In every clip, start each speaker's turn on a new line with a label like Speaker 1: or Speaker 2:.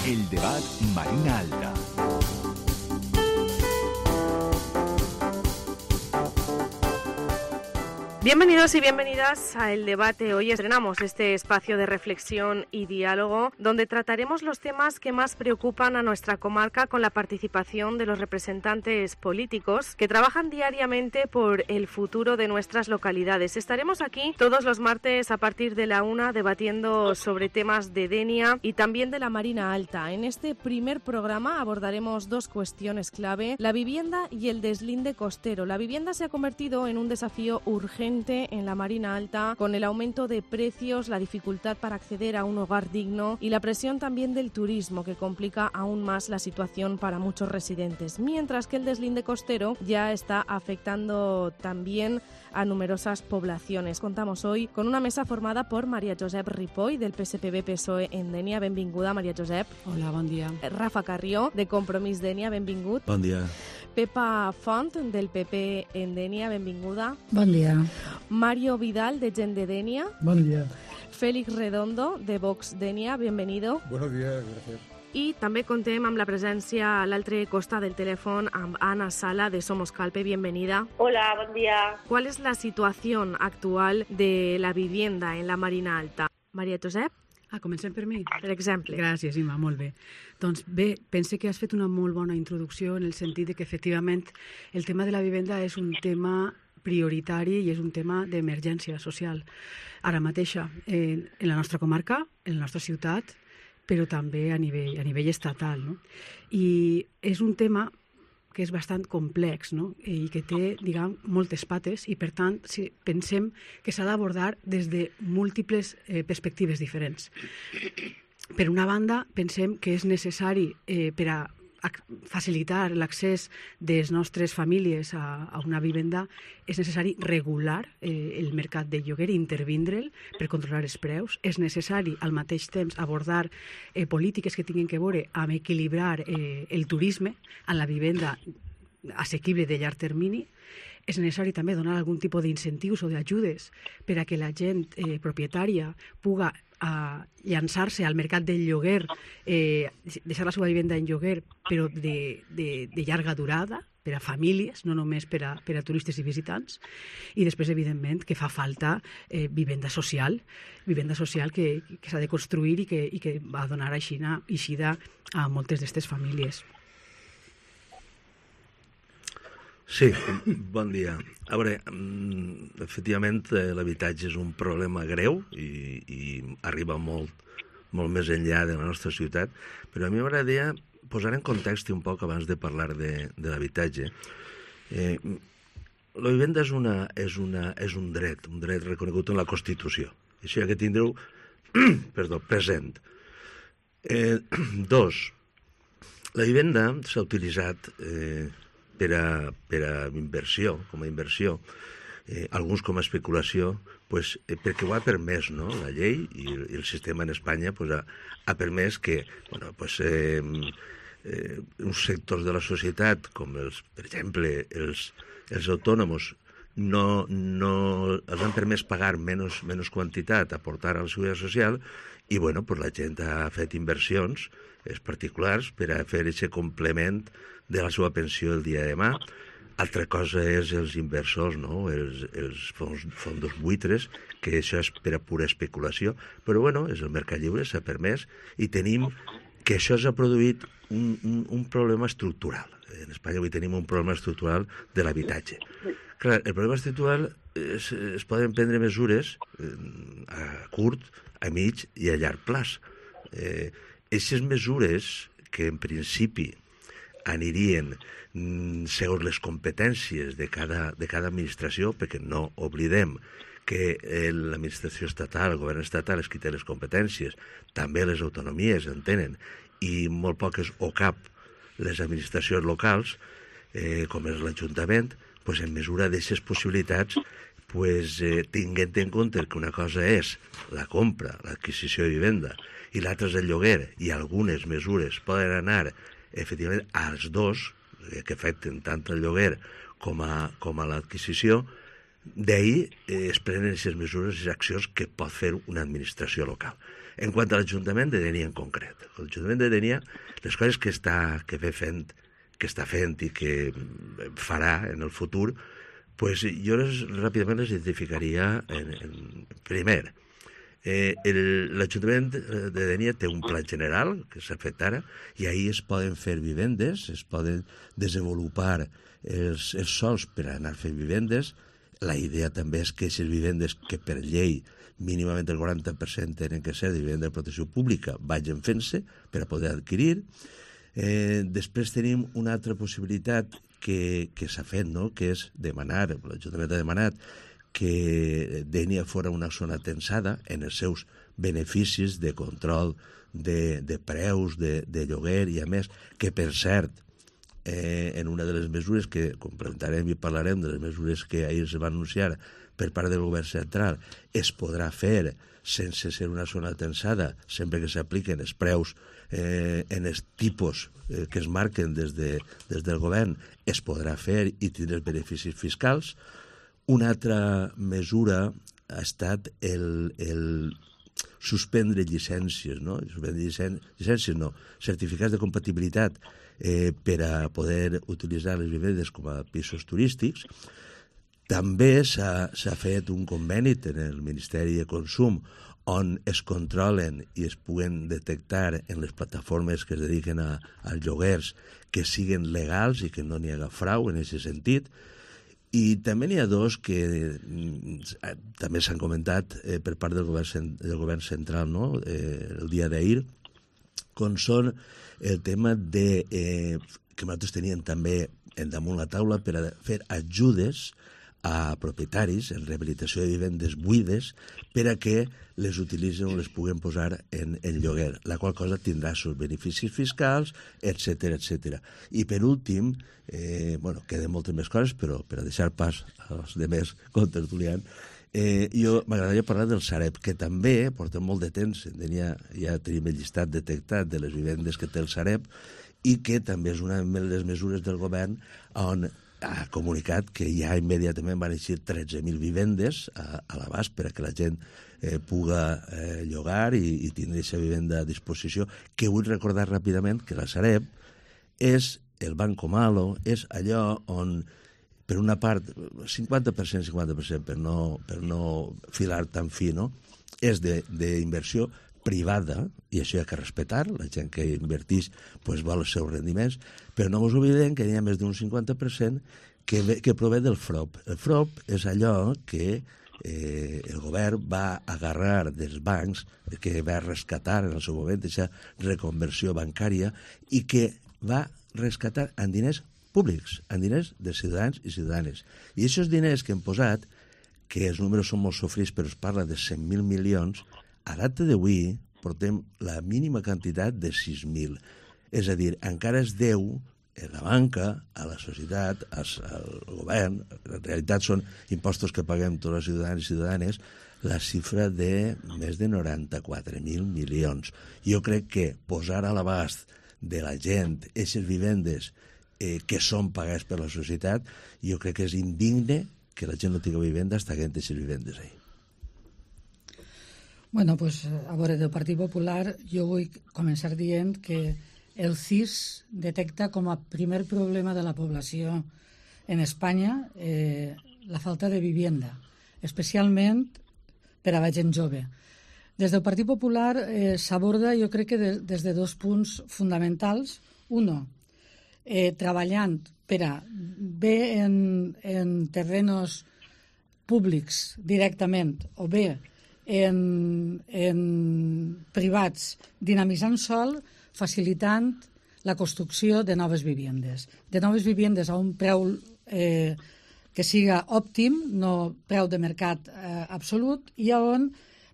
Speaker 1: El debat Marina Alta.
Speaker 2: Bienvenidos y bienvenidas a El Debate. Hoy estrenamos este espacio de reflexión y diálogo donde trataremos los temas que más preocupan a nuestra comarca con la participación de los representantes políticos que trabajan diariamente por el futuro de nuestras localidades. Estaremos aquí todos los martes a partir de la 1 debatiendo sobre temas de Denia y también de la Marina Alta. En este primer programa abordaremos dos cuestiones clave: la vivienda y el deslinde costero. La vivienda se ha convertido en un desafío urgente en la Marina Alta, con el aumento de precios, la dificultad para acceder a un hogar digno y la presión también del turismo, que complica aún más la situación para muchos residentes, mientras que el deslinde costero ya está afectando también a numerosas poblaciones. Contamos hoy con una mesa formada por María Josep Ripoll, del PSPB-PSOE en Denia. Benvinguda, María Josep.
Speaker 3: Hola, bon dia.
Speaker 2: Rafa Carrió, de Compromís Denia. Benvingut.
Speaker 4: Bon dia.
Speaker 2: Pepa Font, del PP en Denia. Benvinguda.
Speaker 5: Bon dia.
Speaker 2: Mario Vidal, de Gent de Denia.
Speaker 6: Bon dia.
Speaker 2: Félix Redondo, de Vox Denia. Bienvenido.
Speaker 6: Buenos días, gracias.
Speaker 2: I també contem amb la presència a l'altre costat del telèfon amb Ana Sala, de Somos Calpe. Bienvenida.
Speaker 7: Hola, bon dia.
Speaker 2: ¿Cuál es la situación actual de la vivienda en la Marina Alta? María Josep?
Speaker 3: Comencem per mi?
Speaker 2: Per exemple.
Speaker 3: Gràcies, Imma, molt bé. Doncs bé, pense que has fet una molt bona introducció en el sentit de que efectivament el tema de la vivenda és un tema prioritari i és un tema d'emergència social. Ara mateixa, en la nostra comarca, en la nostra ciutat, però també a nivell estatal, no? I és un tema que és bastant complex, no? I que té, diguem, moltes pates i, per tant, pensem que s'ha d'abordar des de múltiples perspectives diferents. Per una banda, pensem que és necessari per a facilitar l'accés de les nostres famílies a una vivenda, és necessari regular el mercat de lloguer i intervindre'l per controlar els preus. És necessari, al mateix temps, abordar polítiques que tinguin que veure amb equilibrar el turisme en la vivenda assequible de llarg termini. És necessari també donar algun tipus d'incentius o d'ajudes per a que la gent propietària puga llançar-se al mercat del lloguer, deixar la seva vivenda en lloguer, però de llarga durada, per a famílies, no només per a turistes i visitants. I després, evidentment, que fa falta vivenda social que s'ha de construir i que va donar eixida a moltes d'aquestes famílies.
Speaker 4: Sí, bon dia. A veure, efectivament, l'habitatge és un problema greu i arriba molt més enllà de la nostra ciutat, però a mi m'agradaria posar en context un poc abans de parlar de l'habitatge. La vivenda és un dret reconegut en la Constitució. Això ha de tindre present. Dos, la vivenda s'ha utilitzat per a inversió, com a inversió, alguns com a especulació, perquè ho ha permès, no? La llei i el sistema en Espanya ha permès que uns sectors de la societat, com per exemple els autònoms, no els han permès pagar menys quantitat, aportar a la seguretat social, i la gent ha fet inversions particulars per a fer aquest complement de la seva pensió el dia de demà. Altra cosa és els inversors, no? Els fondos buitres, que això és per a pura especulació, però és el mercat lliure, s'ha permès, i tenim que això s'ha produït un problema estructural. En Espanya avui tenim un problema estructural de l'habitatge. Clar, el problema estructural es poden prendre mesures a curt, a mig i a llarg plaç. Aquestes mesures que en principi anirien segons les competències de cada administració, perquè no oblidem que l'administració estatal, el govern estatal és qui té les competències, també les autonomies en tenen, i molt poques o cap les administracions locals, com és l'Ajuntament, en mesura d'aquestes possibilitats, tinguent en compte que una cosa és la compra, l'adquisició de vivenda, i l'altra és el lloguer, i algunes mesures poden anar efectivament als dos, que afecten tant el lloguer com a l'adquisició, d'ahir es prenen aquestes mesures i accions que pot fer una administració local. En quant a l'Ajuntament de Dénia en concret, l'Ajuntament de Dénia, les coses que està fent i que farà en el futur, pues jo ràpidament les identificaria primer. L'Ajuntament de Dénia té un pla general que s'ha fet ara i ahir es poden fer vivendes, es poden desenvolupar els sols per anar fent vivendes. La idea també és que aquestes vivendes que per llei mínimament el 40% tenen que ser de vivenda de protecció pública vagin fent-se per a poder adquirir. Després tenim una altra possibilitat que s'ha fet, no? Que és demanar, l'Ajuntament ha demanat que Dénia fora una zona tensada en els seus beneficis de control de preus, de lloguer, i a més que, per cert, en una de les mesures que complementarem i parlarem de les mesures que ahir es va anunciar per part del govern central, es podrà fer sense ser una zona tensada, sempre que s'apliquen els preus en els tipus que es marquen des del govern, es podrà fer i tindre els beneficis fiscals. Una altra mesura ha estat el suspendre llicències, no? Llicències no, certificats de compatibilitat per a poder utilitzar les vivendes com a pisos turístics. També s'ha fet un conveni en el Ministeri de Consum on es controlen i es puguen detectar en les plataformes que es dediquen als lloguers que siguen legals i que no n'hi haga frau en aquest sentit. I també n'hi ha dos que també s'han comentat per part del govern central, no? El dia d'ahir, com són el tema que nosaltres teníem també damunt la taula per a fer ajudes a propietaris en rehabilitació de vivendes buides per a que les utilitzen o les puguen posar en lloguer, la qual cosa tindrà els beneficis fiscals, etc. I per últim, queden moltes més coses, però per a deixar pas als demés contertulians, jo m'agradaria parlar del Sareb, que també porta molt de temps, ja tenim el llistat detectat de les vivendes que té el Sareb, i que també és una de les mesures del govern on ha comunicat que ja immediatament van eixir 13.000 vivendes a l'abast per a que la gent puga llogar i tindre aquesta vivenda a disposició, que vull recordar ràpidament que la Sareb és el Banco Malo, és allò on, per una part, 50% per no filar tan fi, no? És d'inversió privada, i això hi ha que respectar, la gent que inverteix vol els seus rendiments, però no ens oblidem que hi ha més d'un 50% que prové del FROP. El FROP és allò que el govern va agarrar dels bancs, que va rescatar en el seu moment aquesta reconversió bancària i que va rescatar en diners públics, en diners de ciutadans i ciutadanes. I aquests diners que hem posat, que els números són molt sofrits, però es parla de 100.000 milions, a data d'avui portem la mínima quantitat de 6.000. És a dir, encara es deu a la banca, a la societat, al govern, en realitat són impostos que paguem tots els ciutadans i ciutadanes, la xifra de més de 94.000 milions. Jo crec que posar a l'abast de la gent aquestes vivendes que són pagades per la societat, jo crec que és indigne que la gent no tingui vivenda fins que hagin aquestes vivendes ahí.
Speaker 5: Bueno, pues a veure, del Partit Popular jo vull començar dient que el CIS detecta com a primer problema de la població en Espanya la falta de vivienda, especialment per a la gent jove. Des del Partit Popular s'aborda, jo crec que des de dos punts fonamentals. Uno, treballant per a bé en terrenos públics directament o bé en privats, dinamitzant sol, facilitant la construcció de noves vivendes. De noves vivendes a un preu que siga òptim, no preu de mercat absolut, i on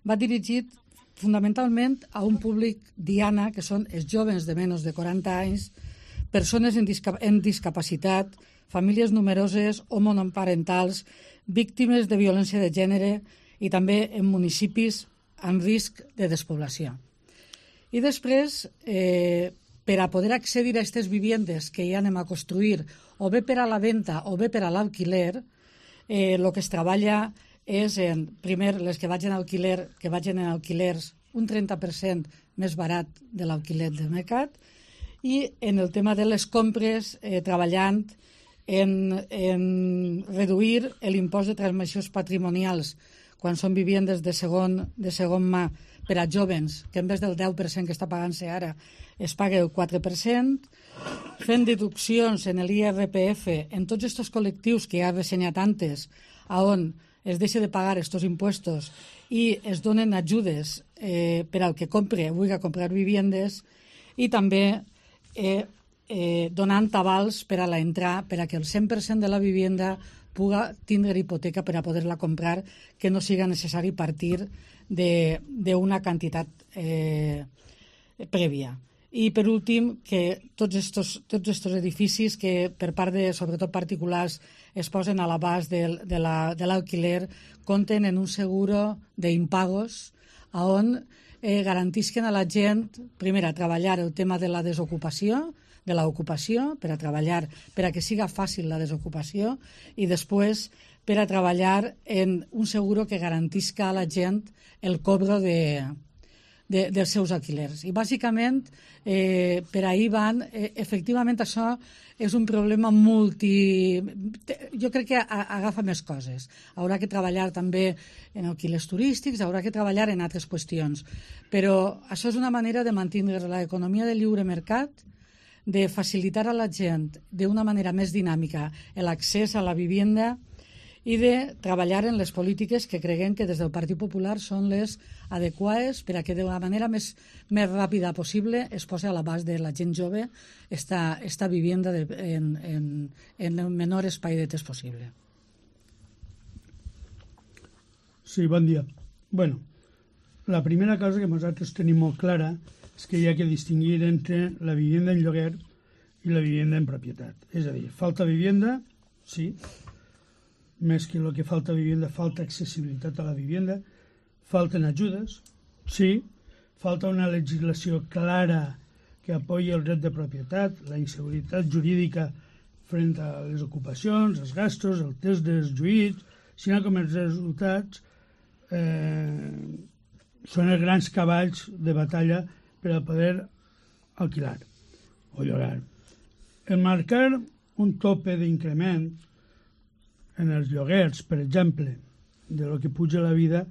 Speaker 5: va dirigit fonamentalment a un públic diana, que són els joves de menys de 40 anys, persones en discapacitat, famílies numeroses o monoparentals, víctimes de violència de gènere i també en municipis amb risc de despoblació. I després, per a poder accedir a aquestes vivendes que ja anem a construir, o bé per a la venda o bé per a l'alquiler, el que es treballa és, primer, les que vagin en alquilers un 30% més barat de l'alquiler del mercat, i en el tema de les compres treballant en reduir l'impost de transmissions patrimonials quan són vivendes de segon mà per a jóvens, que en vez del 10% que està pagant-se ara es paga el 4%, fent deduccions en l'IRPF en tots aquests col·lectius que ja he ressenyat antes, on es deixa de pagar aquests impuestos i es donen ajudes per al que vulgui comprar vivendes, i també donant avals per a l'entrar, per a que el 100% de la vivenda puga tindre hipoteca per a poder-la comprar, que no siga necessari partir d'una quantitat prèvia. I, per últim, que tots estos edificis que, per part de, sobretot particulars, es posen a l'abast de l'alquiler, compten en un seguro d'impagos on garantisquen a la gent, primer, a treballar el tema de la desocupació, de l'ocupació, per a treballar, per a que siga fàcil la desocupació, i després per a treballar en un seguro que garantisca a la gent el cobro dels seus alquilers. I bàsicament per ahir van, efectivament això és un problema jo crec que agafa més coses. Haurà que treballar també en alquilers turístics, haurà que treballar en altres qüestions, però això és una manera de mantenir l'economia del lliure mercat, de facilitar a la gent d'una manera més dinàmica l'accés a la vivenda i de treballar en les polítiques que creguem que des del Partit Popular són les adequades per a que de la manera més ràpida possible es posi a l'abast de la gent jove esta vivenda en el menor espai de temps possible.
Speaker 6: Sí, bon dia. Bueno, la primera cosa que nosaltres tenim molt clara és que hi ha que distingir entre la vivienda en lloguer i la vivienda en propietat. És a dir, falta vivienda, sí, més que el que falta vivienda, falta accessibilitat a la vivienda, falten ajudes, sí, falta una legislació clara que apoyi el dret de propietat, la inseguretat jurídica frente a les ocupacions, els gastos, el test dels juïts, sinó com els resultats són els grans cavalls de batalla per a poder alquilar o llogar. El marcar un tope d'increment en els lloguers, per exemple, de lo que puja la vida,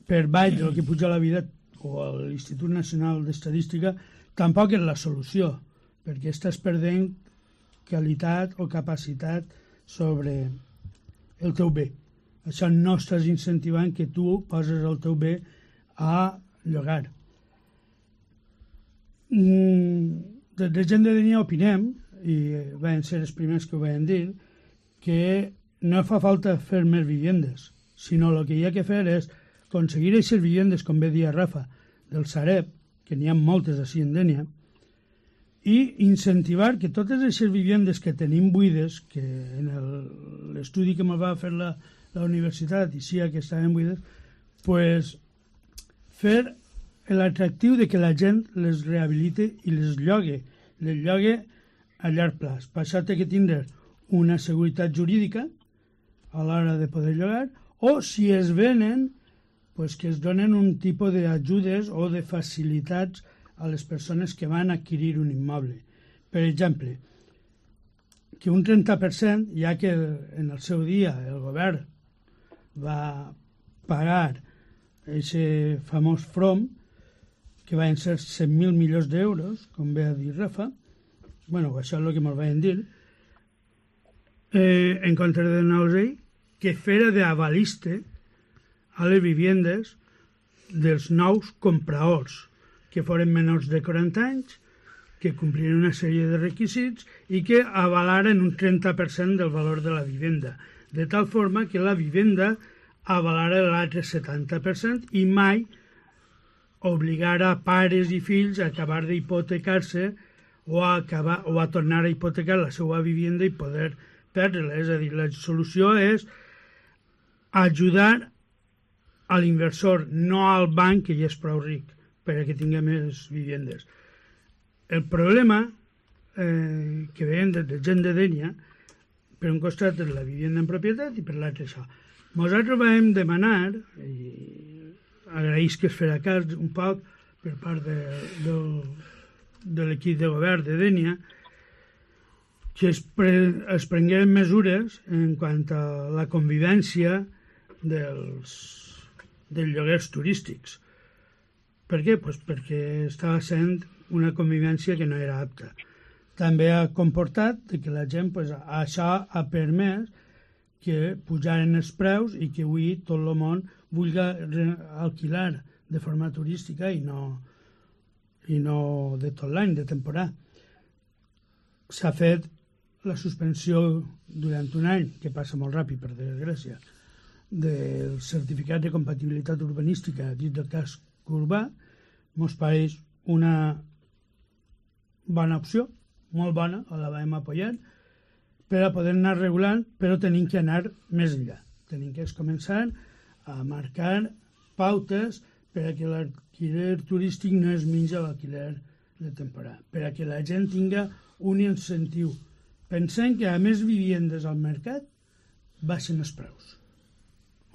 Speaker 6: per baix de lo que puja la vida, o l'Institut Nacional d'Estadística, tampoc és la solució, perquè estàs perdent qualitat o capacitat sobre el teu bé. Això no estàs incentivant que tu poses el teu bé a llogar. Des de Gent de Dénia opinem, i van ser els primers que ho van dir, que no fa falta fer més vivendes, sinó el que hi ha que fer és aconseguir aquestes vivendes, com bé dia Rafa, del Sareb, que n'hi ha moltes així en Dénia, i incentivar que totes aquestes vivendes que tenim buides, que en l'estudi que ens va fer la universitat i sí que estaven buides, pues, fer l'atractiu de que la gent les rehabilite i les llogue a llarg plaç. Per això té que tindre una seguretat jurídica a l'hora de poder llogar, o si es venen, pues que es donen un tipus d'ajudes o de facilitats a les persones que van adquirir un immoble. Per exemple, que un 30%, ja que en el seu dia el govern va pagar aquest famós FROM, que van ser 100.000 milions d'euros, com ve a dir Rafa, bueno, això és el que ens van dir, en contra de Nausei, que fera d'avaliste a les vivendes dels nous compradors, que foren menors de 40 anys, que complien una sèrie de requisits i que avalaren un 30% del valor de la vivenda, de tal forma que la vivenda avalara l'altre 70% i mai obligara pares i fills a acabar d'hipotecar-se o a tornar a hipotecar la seva vivenda i poder perdre-la. És a dir, la solució és ajudar a l'inversor, no al banc, que ja és prou ric, perquè tingui més vivendes. El problema que veiem des de Gent de Dénia, per un costat és la vivenda en propietat i per l'altre això. Nosaltres vam demanar, agraeix que es farà cas un poc per part de l'equip de govern de Dénia, que es prengueren mesures en quant a la convivència dels lloguers turístics. Per què? Pues perquè estava sent una convivència que no era apta. També ha comportat que la gent, pues, això ha permès que pujaren els preus i que avui tot el món vulgui alquilar de forma turística i no de tot l'any, de temporada. S'ha fet la suspensió durant un any, que passa molt ràpid per desgràcia, del certificat de compatibilitat urbanística dins del casc urbà. Mos pareix una bona opció, molt bona, la vam apoyar, per a poder anar regulant, però tenim que anar més enllà. Tenim que començar a marcar pautes per a que l'alquiler turístic no es menja l'alquiler de temporada, per a que la gent tinga un incentiu. Pensem que a més viviendes al mercat baixen els preus,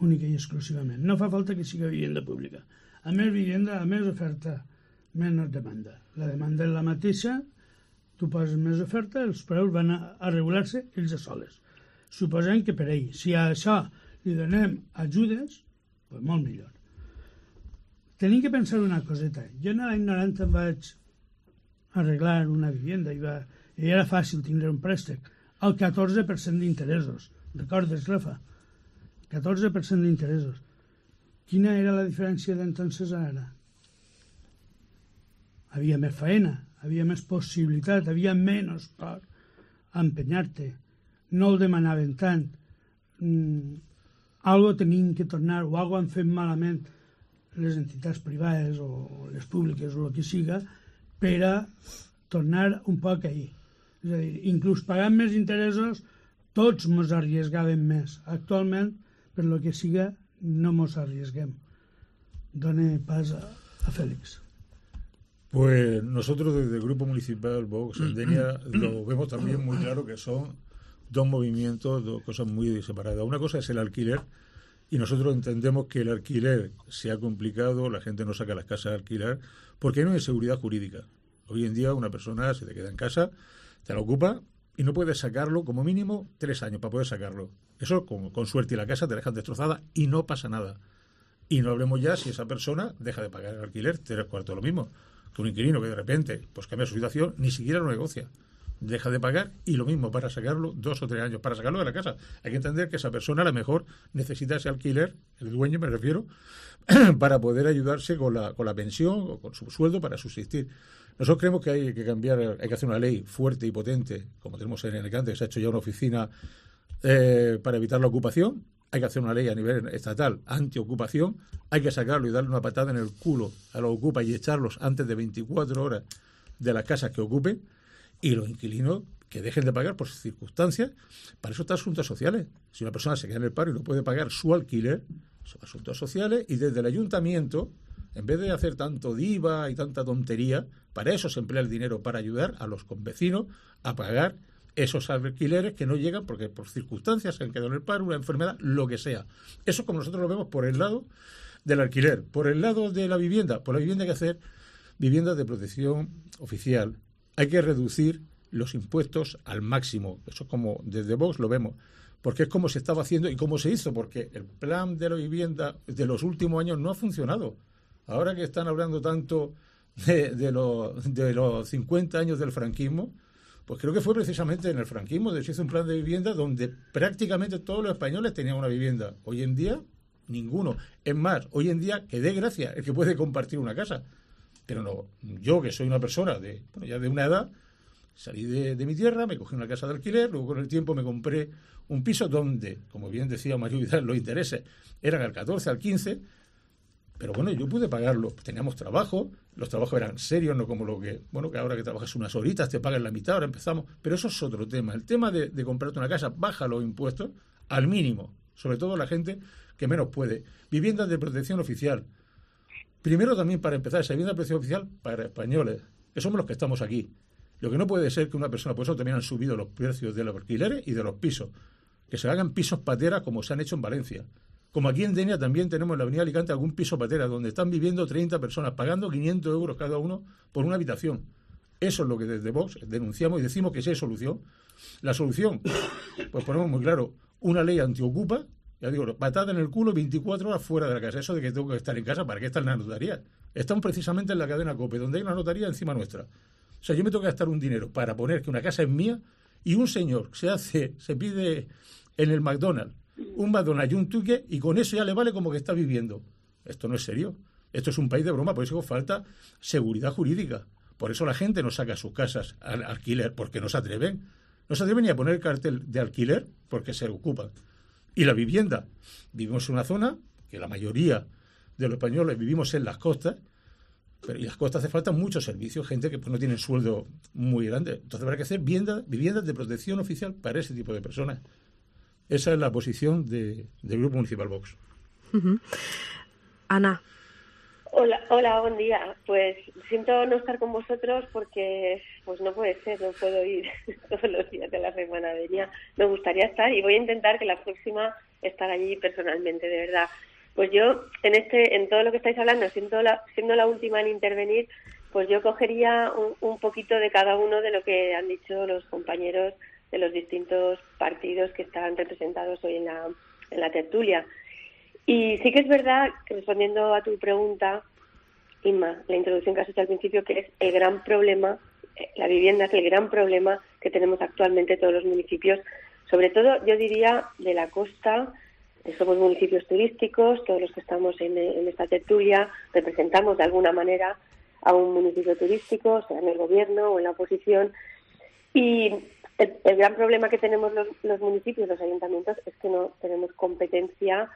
Speaker 6: única i exclusivament. No fa falta que sigui vivenda pública. A més vivienda, a més oferta, menys demanda. La demanda és la mateixa, tu poses més oferta, els preus van a regular-se ells a soles. Suposem que per ell, si a això li donem ajudes, doncs molt millor. Tenim que pensar una coseta. Jo en l'any 90 em vaig arreglar una vivenda i era fàcil tindre un préstec al 14% d'interessos. Recordes, Rafa? 14% d'interessos. Quina era la diferència d'entonces a ara? Havia més feina, havia més possibilitat, havia menys por a empenyar-te. No el demanaven tant. Algo tenim que tornar, o algo han fet malament les entitats privades o les públiques o el que siga, per a tornar un poc ahí. És a dir, inclús pagant més interessos, tots ens arriesgàvem més. Actualment, per lo que siga, no ens arriesguem. Done pas a Félix.
Speaker 7: Pues nosotros desde el Grupo Municipal Vox en Denia lo vemos también muy claro que son dos movimientos, dos cosas muy separadas. Una cosa es el alquiler, y nosotros entendemos que el alquiler se ha complicado, la gente no saca las casas a alquilar, porque hay una inseguridad jurídica. Hoy en día una persona se te queda en casa, te la ocupa y no puedes sacarlo, como mínimo 3 años para poder sacarlo. Eso con suerte, y la casa te dejan destrozada y no pasa nada. Y no hablemos ya si esa persona deja de pagar el alquiler, 3/4 lo mismo que un inquilino que de repente pues cambia su situación, ni siquiera lo negocia, deja de pagar, y lo mismo para sacarlo 2 o 3 años, para sacarlo de la casa. Hay que entender que esa persona a lo mejor necesita ese alquiler, el dueño me refiero, para poder ayudarse con la pensión o con su sueldo para subsistir. Nosotros creemos que hay que cambiar, hay que hacer una ley fuerte y potente, como tenemos en Alicante, que se ha hecho ya una oficina para evitar la ocupación. Hay que hacer una ley a nivel estatal antiocupación, hay que sacarlo y darle una patada en el culo a los ocupas y echarlos antes de 24 horas de las casas que ocupen, y los inquilinos que dejen de pagar por circunstancias. Para eso están asuntos sociales. Si una persona se queda en el paro y no puede pagar su alquiler, son asuntos sociales, y desde el ayuntamiento, en vez de hacer tanto diva y tanta tontería, para eso se emplea el dinero, para ayudar a los convecinos a pagar esos alquileres que no llegan porque por circunstancias se han quedado en el paro, una enfermedad, lo que sea. Eso como nosotros lo vemos por el lado del alquiler. Por el lado de la vivienda, por la vivienda hay que hacer viviendas de protección oficial. Hay que reducir los impuestos al máximo. Eso es como desde Vox lo vemos, porque es como se estaba haciendo y cómo se hizo, porque el plan de la vivienda de los últimos años no ha funcionado. Ahora que están hablando tanto de los 50 años del franquismo, pues creo que fue precisamente en el franquismo donde se hizo un plan de vivienda donde prácticamente todos los españoles tenían una vivienda. Hoy en día, ninguno. Es más, hoy en día, que dé gracia el que puede compartir una casa. Pero no, yo que soy una persona ya de una edad, salí de mi tierra, me cogí una casa de alquiler, luego con el tiempo me compré un piso donde, como bien decía Mario Vidal, los intereses eran al 14, al 15, pero bueno, yo pude pagarlo. Teníamos trabajo, los trabajos eran serios, no como lo que, que ahora que trabajas unas horitas te pagan la mitad, ahora empezamos. Pero eso es otro tema. El tema de comprarte una casa, baja los impuestos al mínimo, sobre todo la gente que menos puede. Viviendas de protección oficial. Primero también, para empezar, esa vivienda de protección oficial para españoles, que somos los que estamos aquí. Lo que no puede ser que una persona, por eso también han subido los precios de los alquileres y de los pisos, que se hagan pisos patera como se han hecho en Valencia, Como aquí en Denia también tenemos en la avenida Alicante algún piso patera donde están viviendo 30 personas, pagando 500 euros cada uno por una habitación. Eso es lo que desde Vox denunciamos y decimos que sí hay solución. La solución, pues ponemos muy claro, una ley antiocupa, ya digo, patada en el culo 24 horas fuera de la casa. Eso de que tengo que estar en casa, ¿para qué está en la notaría? Estamos precisamente en la cadena COPE, donde hay una notaría encima nuestra. O sea, yo me tengo que gastar un dinero para poner que una casa es mía y un señor se pide en el McDonald's un McDonald's y un ticket y con eso ya le vale como que está viviendo. Esto no es serio. Esto es un país de broma, por eso falta seguridad jurídica. Por eso la gente no saca sus casas al alquiler, porque no se atreven. No se atreven ni a poner el cartel de alquiler porque se ocupan. Y la vivienda. Vivimos en una zona que la mayoría de los españoles vivimos en las costas, pero en las costas hace falta muchos servicios, gente que pues, no tiene sueldo muy grande. Entonces habrá que hacer viviendas de protección oficial para ese tipo de personas. Esa es la posición del Grupo Municipal Vox.
Speaker 2: Uh-huh. Ana.
Speaker 8: Hola, buen día. Pues siento no estar con vosotros porque pues no puede ser, no puedo ir todos los días de la semana. Me gustaría estar y voy a intentar que la próxima estar allí personalmente, de verdad. Pues yo, en todo lo que estáis hablando, siendo la última en intervenir, pues yo cogería un poquito de cada uno de lo que han dicho los compañeros de los distintos partidos que están representados hoy en la tertulia. Y sí que es verdad, respondiendo a tu pregunta, Inma, la introducción que has hecho al principio, que es el gran problema, la vivienda es el gran problema que tenemos actualmente todos los municipios, sobre todo, yo diría, de la costa. Somos municipios turísticos, todos los que estamos en esta tertulia representamos de alguna manera a un municipio turístico, sea en el gobierno o en la oposición, y el gran problema que tenemos los municipios, los ayuntamientos, es que no tenemos competencia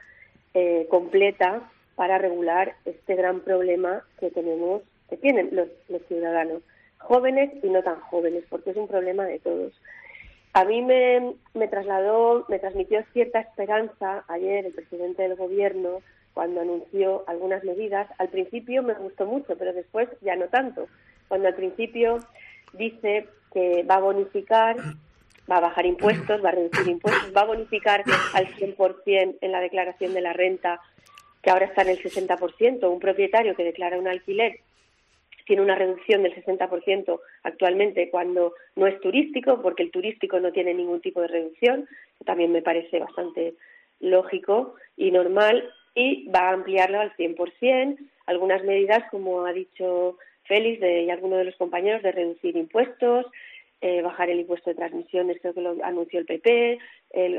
Speaker 8: completa para regular este gran problema que tienen los ciudadanos, jóvenes y no tan jóvenes, porque es un problema de todos. A mí me transmitió cierta esperanza ayer el presidente del gobierno cuando anunció algunas medidas. Al principio me gustó mucho, pero después ya no tanto. Cuando al principio dice que va a bonificar, va a bajar impuestos, va a reducir impuestos, va a bonificar al 100% en la declaración de la renta, que ahora está en el 60%. Un propietario que declara un alquiler tiene una reducción del 60% actualmente cuando no es turístico, porque el turístico no tiene ningún tipo de reducción, que también me parece bastante lógico y normal, y va a ampliarlo al 100%. Algunas medidas, como ha dicho Félix y alguno de los compañeros, de reducir impuestos, bajar el impuesto de transmisiones, creo que lo anunció el PP,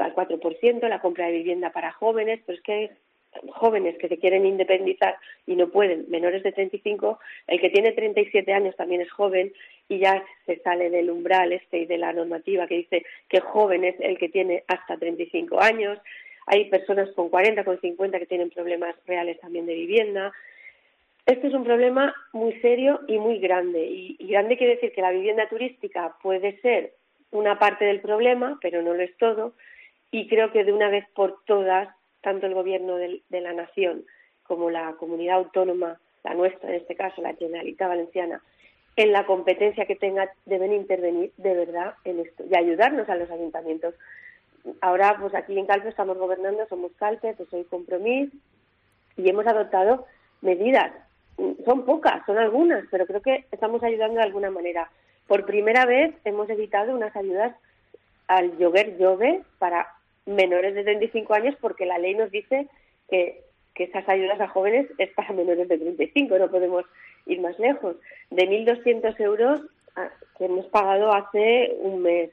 Speaker 8: al 4%, la compra de vivienda para jóvenes, pero es que hay jóvenes que se quieren independizar y no pueden, menores de 35, el que tiene 37 años también es joven y ya se sale del umbral y de la normativa que dice que joven es el que tiene hasta 35 años. Hay personas con 40, con 50 que tienen problemas reales también de vivienda. Este es un problema muy serio y muy grande. Y grande quiere decir que la vivienda turística puede ser una parte del problema, pero no lo es todo. Y creo que de una vez por todas, tanto el Gobierno de la Nación como la comunidad autónoma, la nuestra en este caso, la Generalitat Valenciana, en la competencia que tenga, deben intervenir de verdad en esto y ayudarnos a los ayuntamientos. Ahora, pues aquí en Calpe estamos gobernando, somos Calpe, pues soy Compromís, y hemos adoptado medidas. Son pocas, son algunas, pero creo que estamos ayudando de alguna manera. Por primera vez hemos evitado unas ayudas al lloguer jove para menores de 35 años, porque la ley nos dice que esas ayudas a jóvenes es para menores de 35, no podemos ir más lejos. De 1.200 euros que hemos pagado hace un mes,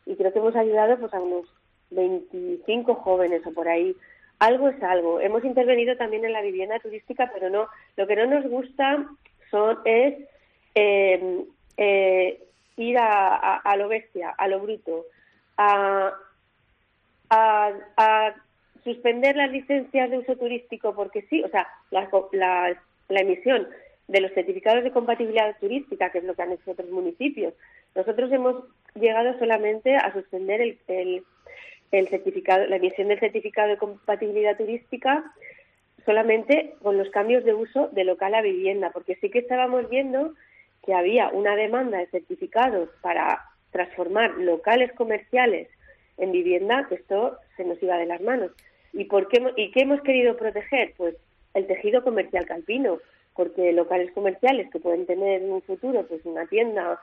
Speaker 8: y creo que hemos ayudado pues a unos 25 jóvenes o por ahí. Algo es algo. Hemos intervenido también en la vivienda turística, pero no. Lo que no nos gusta es ir a lo bestia, a lo bruto, a suspender las licencias de uso turístico porque sí, o sea, la emisión de los certificados de compatibilidad turística, que es lo que han hecho otros municipios. Nosotros hemos llegado solamente a suspender el certificado, la emisión del certificado de compatibilidad turística solamente con los cambios de uso de local a vivienda, porque sí que estábamos viendo que había una demanda de certificados para transformar locales comerciales en vivienda, que esto se nos iba de las manos. ¿Y qué hemos querido proteger? Pues el tejido comercial calpino, porque locales comerciales que pueden tener en un futuro pues una tienda,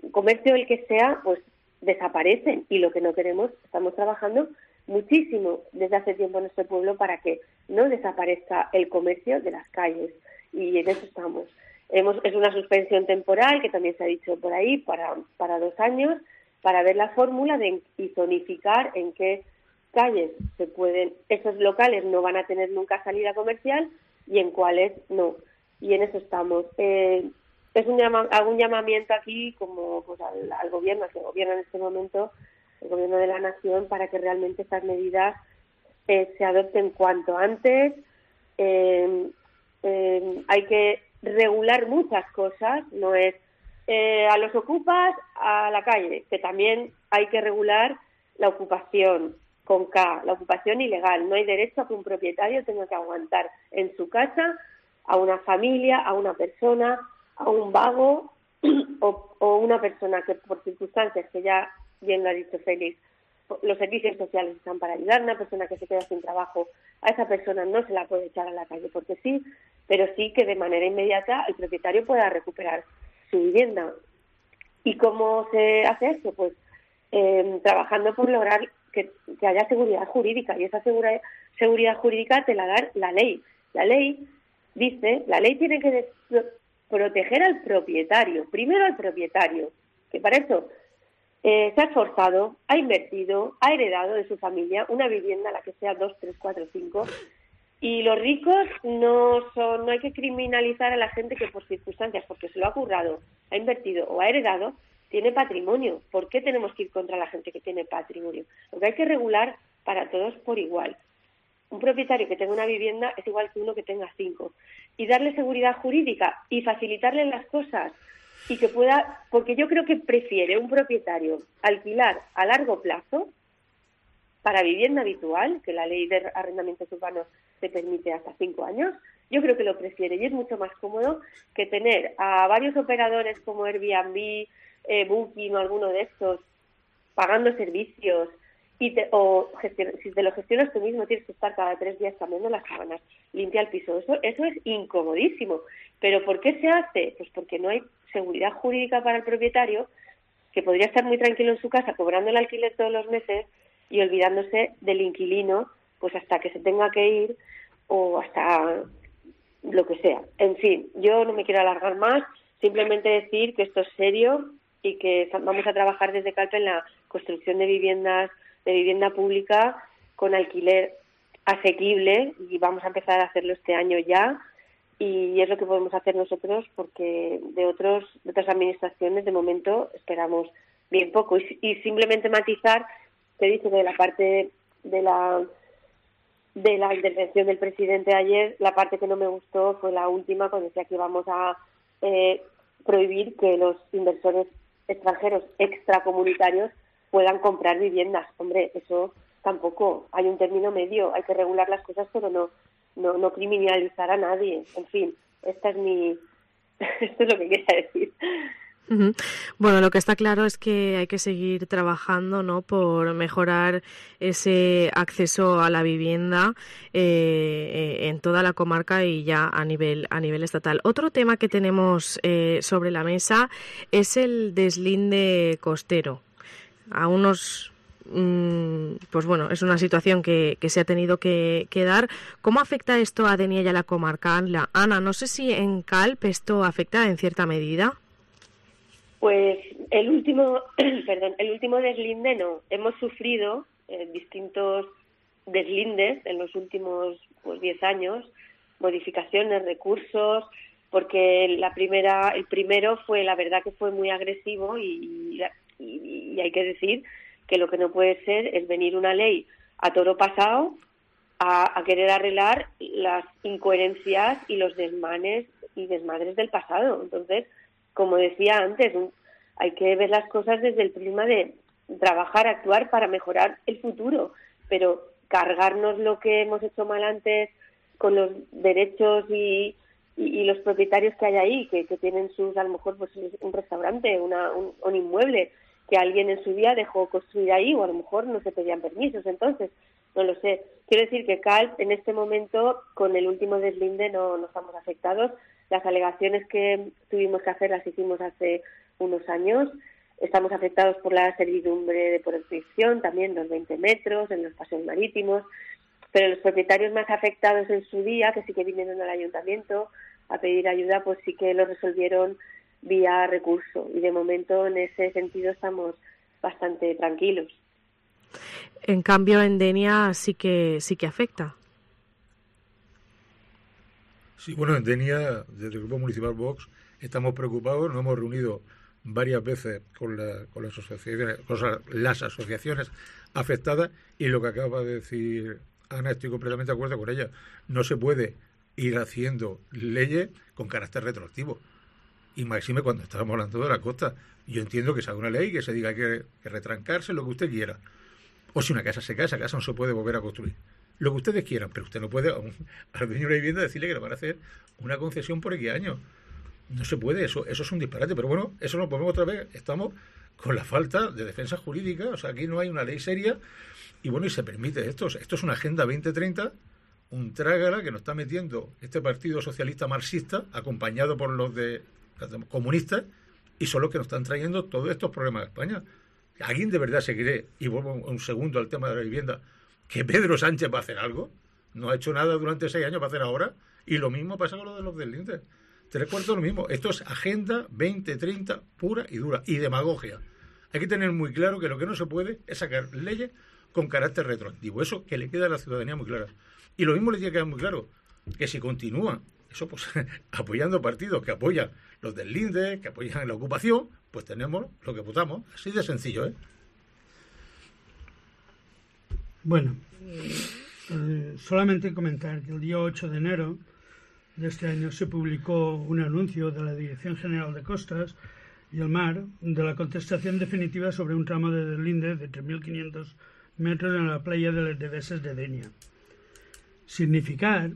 Speaker 8: un comercio, el que sea, pues desaparecen, y lo que no queremos, estamos trabajando muchísimo desde hace tiempo en nuestro pueblo para que no desaparezca el comercio de las calles, y en eso estamos. Es una suspensión temporal, que también se ha dicho por ahí, para 2 años, para ver la fórmula y zonificar en qué calles esos locales no van a tener nunca salida comercial y en cuáles no. Y en eso estamos. Hago un llamamiento aquí como pues, al gobierno, que gobierna en este momento, el gobierno de la nación, para que realmente estas medidas se adopten cuanto antes. Hay que regular muchas cosas, no es a los ocupas a la calle, que también hay que regular la ocupación con K, la ocupación ilegal. No hay derecho a que un propietario tenga que aguantar en su casa a una familia, a una persona, a un vago o una persona que por circunstancias que ya bien lo ha dicho Félix, los servicios sociales están para ayudar. Una persona que se queda sin trabajo, a esa persona no se la puede echar a la calle porque sí, pero sí que de manera inmediata el propietario pueda recuperar su vivienda. ¿Y cómo se hace esto? Pues trabajando por lograr que haya seguridad jurídica, y esa seguridad jurídica te la da la ley. La ley tiene que proteger al propietario, primero al propietario, que para eso se ha esforzado, ha invertido, ha heredado de su familia una vivienda, la que sea 2, 3, 4, 5, y los ricos no hay que criminalizar a la gente que por circunstancias, porque se lo ha currado, ha invertido o ha heredado, tiene patrimonio. ¿Por qué tenemos que ir contra la gente que tiene patrimonio? Lo que hay que regular para todos por igual. Un propietario que tenga una vivienda es igual que uno que tenga 5. Y darle seguridad jurídica y facilitarle las cosas, y que pueda, porque yo creo que prefiere un propietario alquilar a largo plazo para vivienda habitual, que la ley de arrendamientos urbanos te permite hasta 5 años. Yo creo que lo prefiere, y es mucho más cómodo que tener a varios operadores como Airbnb, Booking o alguno de estos pagando servicios, si te lo gestionas tú mismo, tienes que estar cada 3 días cambiando las sábanas, limpia el piso. Eso es incomodísimo. ¿Pero por qué se hace? Pues porque no hay seguridad jurídica para el propietario, que podría estar muy tranquilo en su casa cobrando el alquiler todos los meses y olvidándose del inquilino pues hasta que se tenga que ir o hasta lo que sea. En fin, yo no me quiero alargar más, simplemente decir que esto es serio y que vamos a trabajar desde Calpe en la construcción de vivienda pública con alquiler asequible, y vamos a empezar a hacerlo este año ya, y es lo que podemos hacer nosotros, porque de otras administraciones de momento esperamos bien poco. Y simplemente matizar que dice de la parte de la intervención del presidente ayer, la parte que no me gustó fue la última, cuando decía que íbamos a prohibir que los inversores extranjeros extracomunitarios puedan comprar viviendas. Hombre, eso tampoco, hay un término medio, hay que regular las cosas, pero no criminalizar a nadie. En fin, esto es lo que quería decir.
Speaker 2: Bueno, lo que está claro es que hay que seguir trabajando, ¿no?, por mejorar ese acceso a la vivienda en toda la comarca y ya a nivel estatal. Otro tema que tenemos sobre la mesa es el deslinde costero. A unos pues bueno, es una situación que se ha tenido que dar. ¿Cómo afecta esto a Denia y a la comarca? Ana, no sé si en Calpe esto afecta en cierta medida.
Speaker 8: Pues el último deslinde no. Hemos sufrido distintos deslindes en los últimos 10 años, modificaciones, recursos, porque el primero fue, la verdad que fue muy agresivo y hay que decir que lo que no puede ser es venir una ley a toro pasado a querer arreglar las incoherencias y los desmanes y desmadres del pasado. Entonces, como decía antes, hay que ver las cosas desde el prisma de trabajar, actuar para mejorar el futuro, pero cargarnos lo que hemos hecho mal antes con los derechos y los propietarios que hay ahí, que tienen a lo mejor pues un restaurante, un inmueble que alguien en su día dejó construir ahí, o a lo mejor no se pedían permisos. Entonces, no lo sé. Quiero decir que Calp, en este momento, con el último deslinde no estamos afectados. Las alegaciones que tuvimos que hacer las hicimos hace unos años. Estamos afectados por la servidumbre de protección, también los 20 metros, en los paseos marítimos, pero los propietarios más afectados en su día, que sí que vinieron al ayuntamiento a pedir ayuda, pues sí que lo resolvieron vía recurso, y de momento en ese sentido estamos bastante tranquilos.
Speaker 2: En cambio, en Denia sí que afecta.
Speaker 7: Sí, bueno, en Denia, desde el Grupo Municipal Vox, estamos preocupados, nos hemos reunido varias veces con las asociaciones afectadas, y lo que acaba de decir Ana, estoy completamente de acuerdo con ella. No se puede ir haciendo leyes con carácter retroactivo, y máxime cuando estábamos hablando de la costa. Yo entiendo que se haga una ley, que se diga que retrancarse, lo que usted quiera, o si una casa se cae, esa casa no se puede volver a construir, lo que ustedes quieran, pero usted no puede al dueño de la vivienda decirle que le van a hacer una concesión por X años. No se puede, eso es un disparate. Pero bueno, eso nos ponemos otra vez, estamos con la falta de defensa jurídica, o sea, aquí no hay una ley seria, y bueno, y se permite esto es una Agenda 2030, un trágala que nos está metiendo este Partido Socialista Marxista, acompañado por los de comunistas, y son los que nos están trayendo todos estos problemas a España. ¿Alguien de verdad se cree, y vuelvo un segundo al tema de la vivienda, que Pedro Sánchez va a hacer algo? No ha hecho nada durante 6 años, va a hacer ahora, y lo mismo pasa con lo de los deslindes. 3/4 lo mismo. Esto es Agenda 2030 pura y dura, y demagogia. Hay que tener muy claro que lo que no se puede es sacar leyes con carácter retroactivo. Eso que le queda a la ciudadanía muy clara. Y lo mismo le tiene que quedar muy claro, que si continúan eso, pues apoyando partidos que apoyan los deslindes, que apoyan la ocupación, pues tenemos lo que votamos. Así de sencillo, ¿eh?
Speaker 6: Bueno, solamente comentar que el día 8 de enero de este año se publicó un anuncio de la Dirección General de Costas y el Mar de la contestación definitiva sobre un tramo de deslinde de 3.500 metros en la playa de Les Deveses de Denia. Significar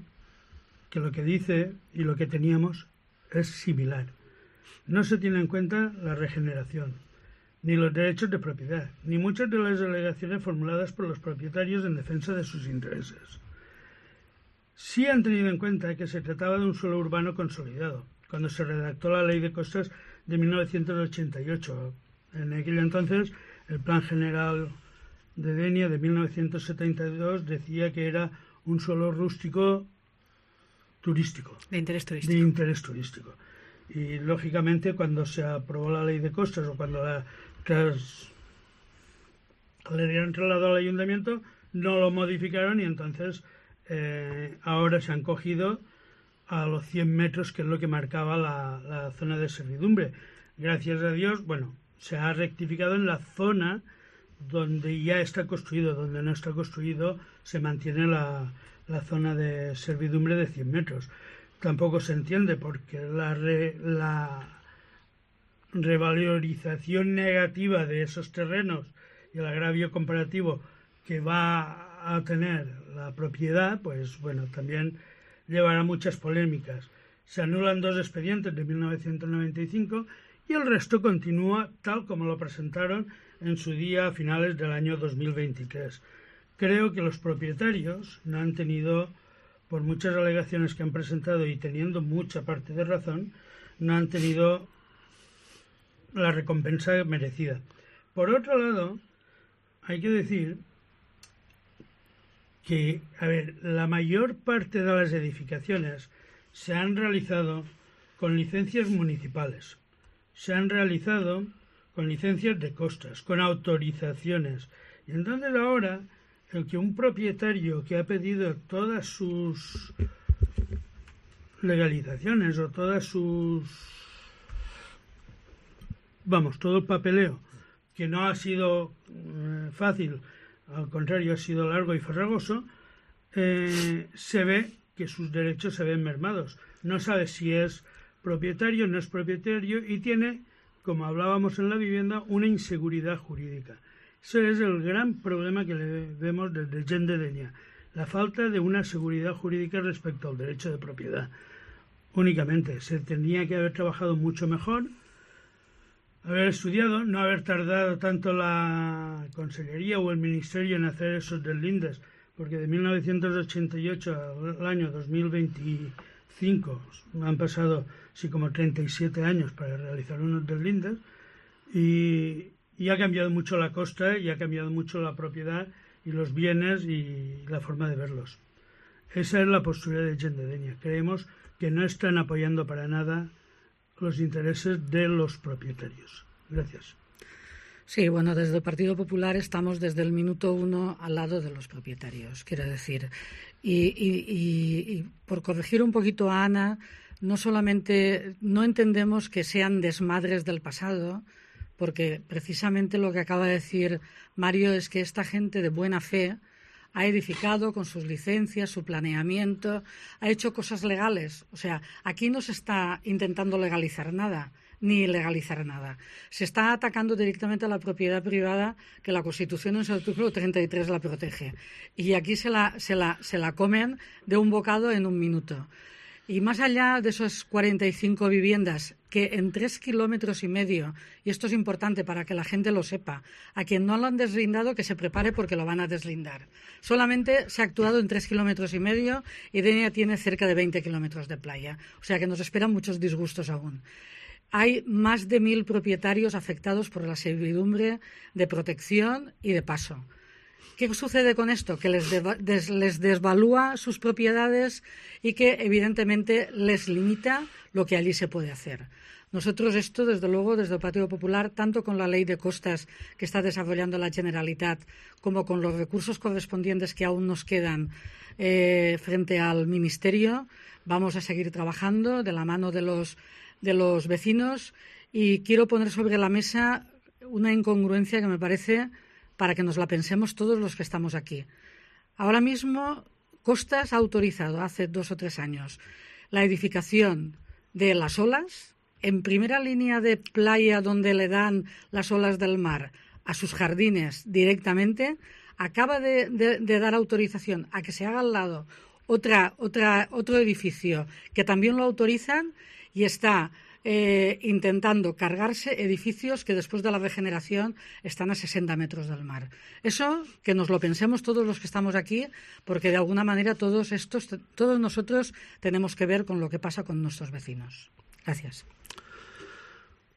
Speaker 6: que lo que dice y lo que teníamos es similar. No se tiene en cuenta la regeneración, ni los derechos de propiedad, ni muchas de las alegaciones formuladas por los propietarios en defensa de sus intereses. Sí han tenido en cuenta que se trataba de un suelo urbano consolidado, cuando se redactó la Ley de Costas de 1988. En aquel entonces, el Plan General de Denia de 1972 decía que era un suelo rústico turístico.
Speaker 3: De interés turístico.
Speaker 6: De interés turístico. Y, lógicamente, cuando se aprobó la Ley de Costas o cuando le dieron traslado al ayuntamiento, no lo modificaron, y entonces ahora se han cogido a los 100 metros, que es lo que marcaba la zona de servidumbre. Gracias a Dios, bueno, se ha rectificado en la zona donde ya está construido. Donde no está construido se mantiene la zona de servidumbre de 100 metros. Tampoco se entiende porque la revalorización negativa de esos terrenos y el agravio comparativo que va a tener la propiedad, pues bueno, también llevará muchas polémicas. Se anulan 2 expedientes de 1995 y el resto continúa tal como lo presentaron en su día a finales del año 2023. Creo que los propietarios no han tenido, por muchas alegaciones que han presentado y teniendo mucha parte de razón, no han tenido la recompensa merecida. Por otro lado, hay que decir que, la mayor parte de las edificaciones se han realizado con licencias municipales, se han realizado con licencias de costas, con autorizaciones. Y entonces ahora, el que un propietario que ha pedido todas sus legalizaciones o todas sus... todo el papeleo, que no ha sido fácil, al contrario, ha sido largo y farragoso, se ve que sus derechos se ven mermados. No sabe si es propietario o no es propietario, y tiene, como hablábamos en la vivienda, una inseguridad jurídica. Ese es el gran problema que le vemos desde Gent de Denia, la falta de una seguridad jurídica respecto al derecho de propiedad. Únicamente se tendría que haber trabajado mucho mejor, haber estudiado, no haber tardado tanto la Consellería o el Ministerio en hacer esos deslindes, porque de 1988 al año 2025 han pasado sí como 37 años para realizar unos deslindes y ha cambiado mucho la costa y ha cambiado mucho la propiedad y los bienes y la forma de verlos. Esa es la postura de Gent de Dénia. Creemos que no están apoyando para nada los intereses de los propietarios. Gracias.
Speaker 5: Sí, bueno, desde el Partido Popular estamos desde el minuto 1 al lado de los propietarios, quiero decir. Y por corregir un poquito a Ana, no solamente no entendemos que sean desmadres del pasado, porque precisamente lo que acaba de decir Mario es que esta gente de buena fe ha edificado con sus licencias, su planeamiento, ha hecho cosas legales. O sea, aquí no se está intentando legalizar nada, ni legalizar nada. Se está atacando directamente a la propiedad privada, que la Constitución en su artículo 33 la protege. Y aquí se la comen de un bocado en un minuto. Y más allá de esas 45 viviendas que en 3,5 kilómetros, y esto es importante para que la gente lo sepa, a quien no lo han deslindado que se prepare porque lo van a deslindar. Solamente se ha actuado en 3,5 kilómetros y Dénia tiene cerca de 20 kilómetros de playa. O sea que nos esperan muchos disgustos aún. Hay más de 1.000 propietarios afectados por la servidumbre de protección y de paso. ¿Qué sucede con esto? Que les desvalúa sus propiedades y que evidentemente les limita lo que allí se puede hacer. Nosotros esto, desde luego, desde el Partido Popular, tanto con la ley de costas que está desarrollando la Generalitat como con los recursos correspondientes que aún nos quedan frente al Ministerio, vamos a seguir trabajando de la mano de los vecinos y quiero poner sobre la mesa una incongruencia que me parece para que nos la pensemos todos los que estamos aquí. Ahora mismo, Costas ha autorizado hace 2 o 3 años la edificación de las olas en primera línea de playa donde le dan las olas del mar a sus jardines directamente. Acaba de dar autorización a que se haga al lado otro edificio que también lo autorizan y está intentando cargarse edificios que después de la regeneración están a 60 metros del mar. Eso que nos lo pensemos todos los que estamos aquí, porque de alguna manera todos nosotros tenemos que ver con lo que pasa con nuestros vecinos. Gracias.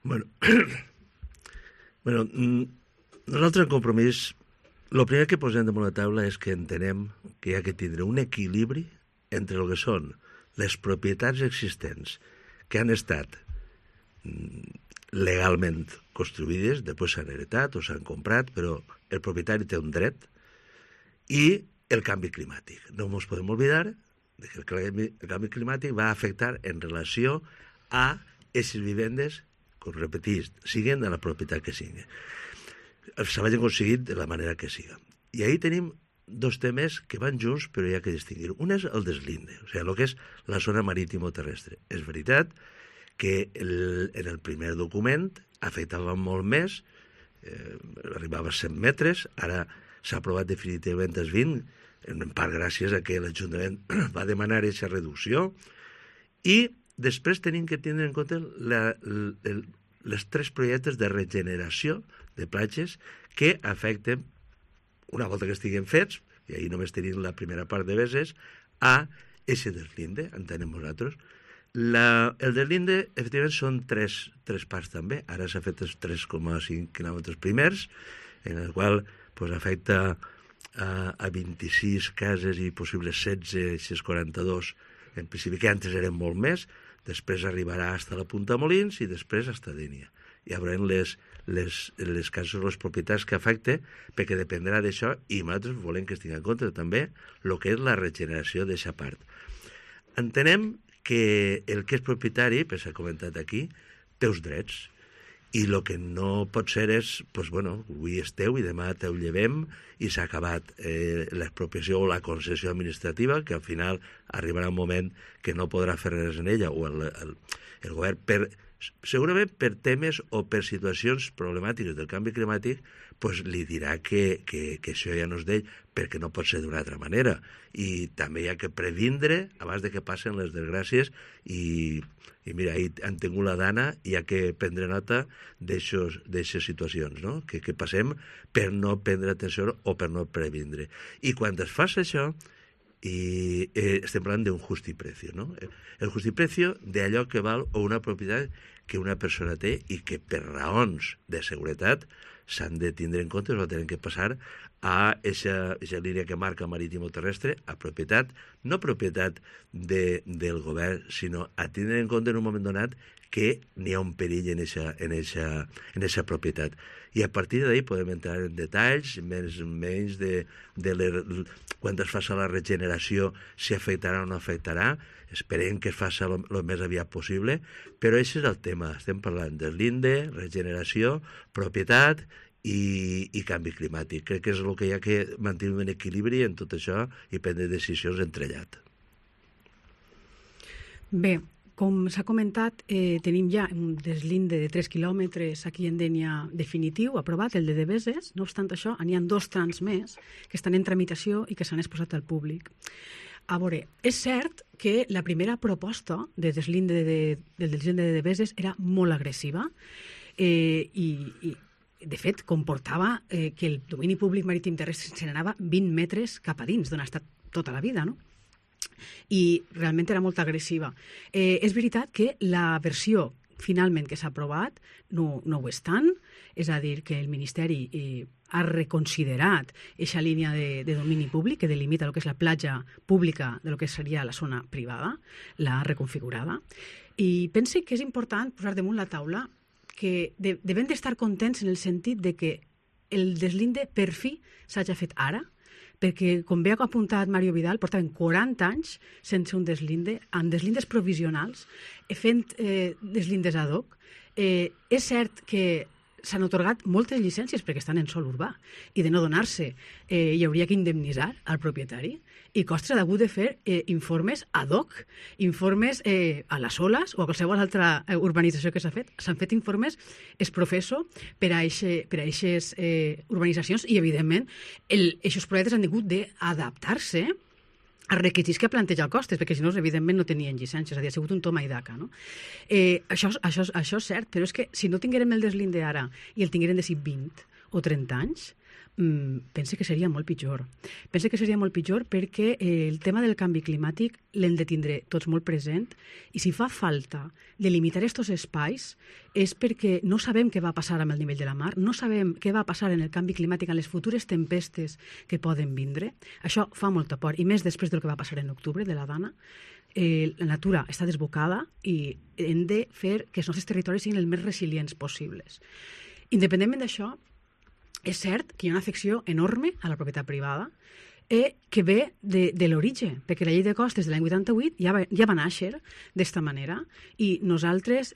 Speaker 4: Bueno, nosaltres en Compromís, el primer que posem damunt la taula és que entenem que hi ha que tindre un equilibri entre el que són les propietats existents que han estat legalment construïdes, després s'han heretat o s'han comprat, però el propietari té un dret, i el canvi climàtic. No ens podem oblidar que el canvi climàtic va afectar en relació a aquestes vivendes, com repetís, siguen de la propietat que siguin. S'hagin aconseguit de la manera que siga. I ahí tenim 2 temes que van junts, però hi ha que distingir. Un és el deslinde, o sigui, el que és la zona marítimo-terrestre. És veritat que en el primer document afectava molt més, arribava a 100 metres, ara s'ha aprovat definitivament els 20, en part gràcies a que l'Ajuntament va demanar aquesta reducció, i després tenim que tenir en compte les 3 projectes de regeneració de platges que afecten, una volta que estiguin fets, i ahir només tenim la primera part de Beses, a ese deslinde, entenem nosaltres. El deslinde, efectivament, són 3 parts també. Ara s'ha fet els 3,5 quilòmetres primers, en el qual afecta a 26 cases i possibles 16, 42, en principi que antes eren molt més, després arribarà fins a la Punta Molins i després fins a Dénia. Hi haurà les cases, les propietats que afecte, perquè dependrà d'això, i nosaltres volem que es tingui en compte també el que és la regeneració d'aquesta part. Entenem que el que és propietari, pues s'ha comentat aquí, té els drets, i el que no pot ser és, avui és teu i demà te'l llevem i s'ha acabat l'expropiació o la concessió administrativa, que al final arribarà un moment que no podrà fer res en ella, o el govern, per segurament per temes o per situacions problemàtiques del canvi climàtic, pues li dirà que això ja no és d'ell, perquè no pot ser d'una altra manera. I també hi ha que previndre abans de que passen les desgràcies i mira, ahir han tingut la dana i hi ha que prendre nota d'aixes situacions, no? Que passem per no prendre atenció o per no previndre. I quan es fa això, i estem parlant d'un justiprecio, no? El justiprecio d'allò que val una propietat que una persona té i que per raons de seguretat s'han de tindre en compte, o tenen que passar a aquesta línia que marca marítimo-terrestre, a propietat, no propietat del govern, sinó a tindre en compte en un moment donat que n'hi ha un perill en aquesta propietat. I a partir d'ahí podem entrar en detalls, menys de quan es faci la regeneració, si afectarà o no afectarà. Esperem que es faci el més aviat possible, però aquest és el tema. Estem parlant del linde, regeneració, propietat i canvi climàtic. Crec que és el que hi ha que mantenir un equilibri en tot això i prendre decisions entrellat.
Speaker 3: Bé, com s'ha comentat, tenim ja un deslinde de 3 quilòmetres aquí en Dénia definitiu, aprovat, el de Deveses. No obstant això, n'hi ha 2 trams més que estan en tramitació i que s'han exposat al públic. A veure, és cert que la primera proposta del deslinde de Deveses era molt agressiva i de fet, comportava que el domini públic marítim terrestre se n'anava 20 metres cap a dins, d'on ha estat tota la vida, no? I realment era molt agressiva. És veritat que la versió finalment que s'ha aprovat no ho és tant, és a dir, que el Ministeri ha reconsiderat aquesta línia de domini públic que delimita el que és la platja pública de lo que seria la zona privada, l'ha reconfigurada. I pense que és important posar damunt la taula que devem d'estar contents en el sentit de que el deslinde per fi s'hagi fet ara, perquè, com bé ha apuntat Mario Vidal, portaven 40 anys sense un deslinde, amb deslindes provisionals, fent deslindes ad hoc. És cert que s'han atorgat moltes llicències perquè estan en sòl urbà i de no donar-se hi hauria que indemnitzar al propietari i Costes ha hagut de fer informes ad hoc, informes a les oles o a qualsevol altra urbanització que s'ha fet. S'han fet informes ex professo per a aquestes urbanitzacions i, evidentment, aquests projectes han hagut d'adaptar-se els requisits que planteja el Costes, perquè si no, evidentment, no tenien llicències, ha sigut un toma i daca, no? Això és cert, però és que si no tinguérem el deslinde ara i el tinguérem de 20 o 30 anys, pense que seria molt pitjor. Pense que seria molt pitjor perquè el tema del canvi climàtic l'hem de tindre tots molt present i si fa falta delimitar aquests espais és perquè no sabem què va passar amb el nivell de la mar, no sabem què va passar en el canvi climàtic, en les futures tempestes que poden vindre. Això fa molta por, i més després del que va passar en octubre, de la Dana. La natura està desbocada i hem de fer que els nostres territoris siguin els més resilients possibles. Independentment d'això, és cert que hi ha una afecció enorme a la propietat privada que ve de l'origen, perquè la llei de costes de l'any 88 ja va néixer d'esta manera i nosaltres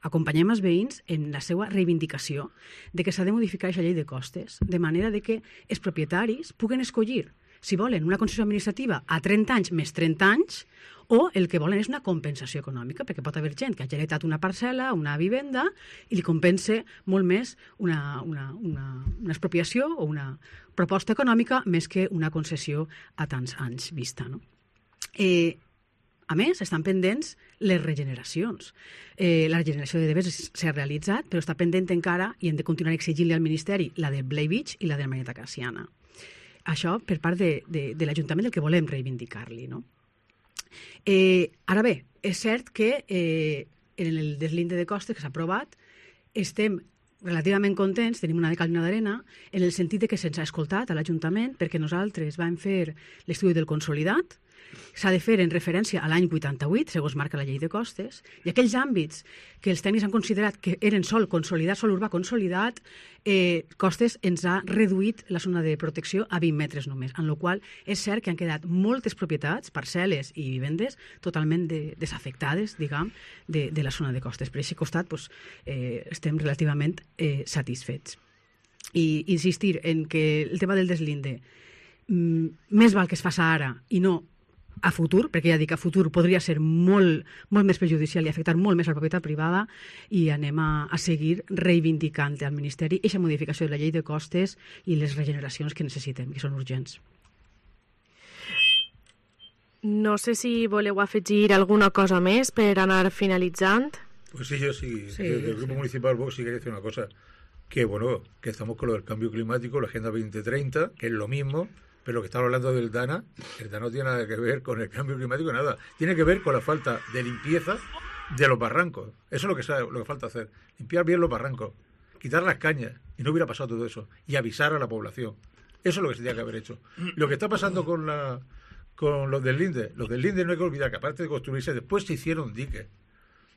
Speaker 3: acompanyem els veïns en la seva reivindicació de que s'ha de modificar aquesta llei de costes, de manera de que els propietaris puguen escollir si volen una concessió administrativa a 30 anys més 30 anys o el que volen és una compensació econòmica, perquè pot haver gent que ha heretat una parcel·la, una vivenda, i li compensa molt més una expropiació o una proposta econòmica més que una concessió a tants anys vista, no? A més, estan pendents les regeneracions. La regeneració de Deveses s'ha realitzat, però està pendent encara, i hem de continuar exigint-li al Ministeri, la de Blai Beach i la de Marieta Cassiana. Això per part de l'Ajuntament del que volem reivindicar-li, no? Ara bé, és cert que en el deslinde de costes que s'ha aprovat estem relativament contents, tenim una de cal i una d'arena, en el sentit de que se'ns ha escoltat a l'Ajuntament perquè nosaltres vam fer l'estudi del consolidat, s'ha de fer en referència a l'any 88, segons marca la llei de costes, i aquells àmbits que els tècnics han considerat que eren sòl consolidat, sòl urbà consolidat, Costes ens ha reduït la zona de protecció a 20 metres només, en la qual és cert que han quedat moltes propietats, parcel·les i vivendes totalment desafectades, diguem, de la zona de costes. Per aquest costat estem relativament satisfets. I insistir en que el tema del deslinde més val que es faci ara i no a futur, perquè ja dic, a futur podria ser molt més perjudicial i afectar molt més a la propietat privada, i anem a seguir reivindicant al Ministeri aquesta modificació de la llei de costes i les regeneracions que necessitem, que són urgents.
Speaker 2: No sé si voleu afegir alguna cosa més per anar finalitzant.
Speaker 7: Pues sí, yo sí. Desde el Grupo Municipal Vox sí quería decir una cosa, que bueno, que estamos con lo del cambio climático, la Agenda 2030, que es lo mismo, pero lo que estamos hablando del DANA, el DANA no tiene nada que ver con el cambio climático, nada. Tiene que ver con la falta de limpieza de los barrancos. Eso es lo que falta hacer. Limpiar bien los barrancos, quitar las cañas, y no hubiera pasado todo eso, y avisar a la población. Eso es lo que se tenía que haber hecho. Lo que está pasando con los deslindes no hay que olvidar que aparte de construirse, después se hicieron diques.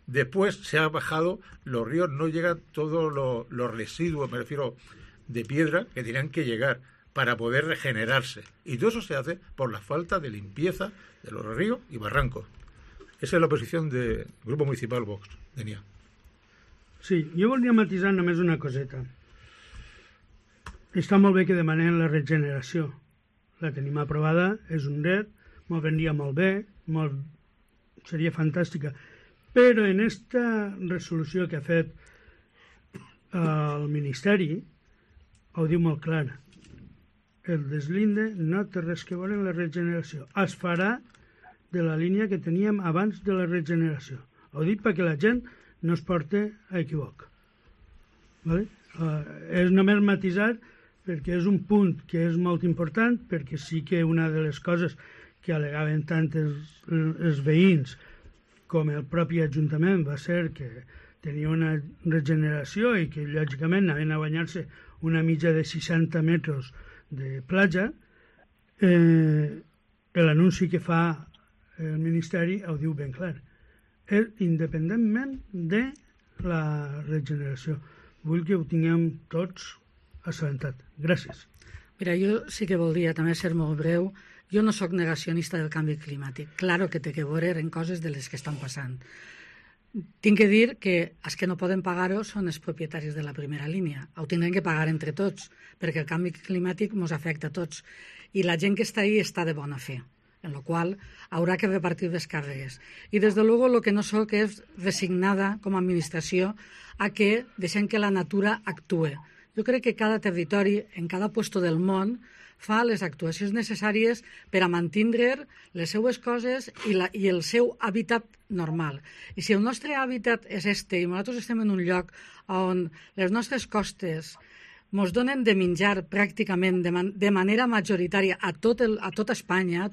Speaker 7: Después se ha bajado, los ríos no llegan todos los residuos, me refiero, de piedra que tenían que llegar para poder regenerarse. Y todo eso se hace por la falta de limpieza de los ríos y barrancos. Esa és la posició del Grup Municipal Vox, Denia.
Speaker 6: Sí, jo volia matisar només una coseta. Està molt bé que demanem la regeneració. La tenim aprovada, és un dret, m'ho vendria molt bé, seria fantàstica. Però en esta resolució que ha fet el Ministeri ho diu molt clara. El deslinde no té res que veure amb la regeneració. Es farà de la línia que teníem abans de la regeneració. Ho dic perquè la gent no es porta a equivoc. Vale? És només matisar perquè és un punt que és molt important, perquè sí que una de les coses que al·legaven tant els veïns com el propi Ajuntament va ser que tenia una regeneració i que lògicament anaven a banyar-se una mitja de 60 metres de platja, l'anunci que fa el Ministeri ho diu ben clar. Independentment de la regeneració. Vull que ho tinguem tots assabentat. Gràcies.
Speaker 5: Mira, jo sí que voldria també ser molt breu. Jo no sóc negacionista del canvi climàtic. Claro que té que veure en coses de les que estan passant. Tinc que dir que els que no poden pagar-ho són els propietaris de la primera línia. Ho tindrem que pagar entre tots, perquè el canvi climàtic ens afecta a tots. I la gent que està ahí està de bona fe, en la qual haurà que repartir les càrregues. I, des de luego, lo que no soc és resignada com a administració a que deixem que la natura actue. Jo crec que cada territori, en cada puesto del món, fa les actuacions necessàries per a mantindre les seues coses i el seu hàbitat normal. I si el nostre hàbitat és i nosaltres estem en un lloc on les nostres costes ens donen de menjar pràcticament de manera majoritària a tota Espanya, a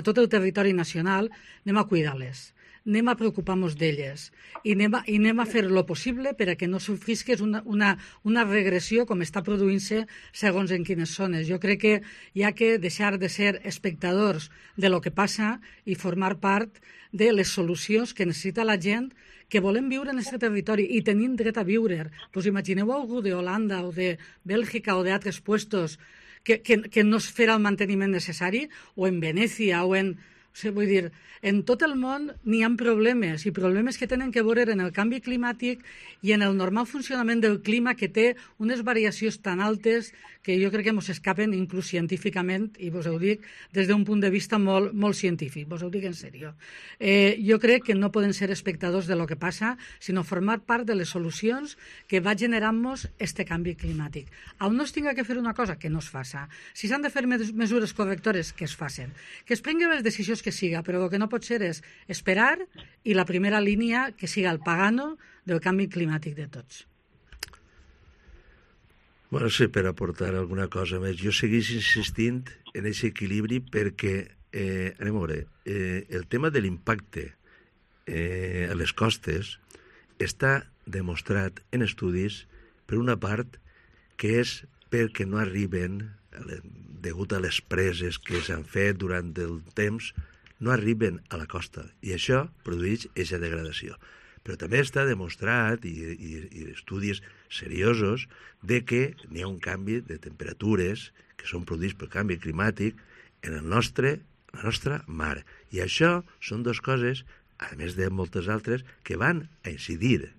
Speaker 5: tot el territori nacional, anem a cuidar-les, anem a preocupar-nos d'elles i anem a fer lo possible per a que no sofrisques una regressió com està produint-se segons en quines zones. Jo crec que hi ha que deixar de ser espectadors de lo que passa i formar part de les solucions que necessita la gent que volem viure en aquest territori i tenim dret a viure. Pues imagineu algú d'Holanda o de Bèlgica o d'altres puestos que no es farà el manteniment necessari, o en Venècia o en... Vull dir, en tot el món n'hi ha problemes, i problemes que tenen que veure en el canvi climàtic i en el normal funcionament del clima, que té unes variacions tan altes que jo crec que ens escapen inclús científicament, i vos ho dic des d'un punt de vista molt, molt científic, vos ho dic en sèrio. Jo crec que no poden ser espectadors de lo que passa, sinó formar part de les solucions que va generant-nos este canvi climàtic. On no es tinga que fer una cosa, que no es faça. Si s'han de fer mesures correctores, que es facin. Que es prenguen les decisions que siga, però el que no pot ser és esperar i la primera línia que siga el pagano del canvi climàtic de tots.
Speaker 4: Bueno, sí, per aportar alguna cosa més. Jo segueix insistint en aquest equilibri perquè, anem a veure, el tema de l'impacte a les costes està demostrat en estudis, per una part, que és perquè no arriben, degut a les preses que s'han fet durant el temps, no arriben a la costa, i això produeix aquesta degradació. Però també està demostrat, i estudis seriosos, de que n'hi ha un canvi de temperatures que són produïts pel canvi climàtic en la nostra mar. I això són dues coses, a més de moltes altres, que van a incidir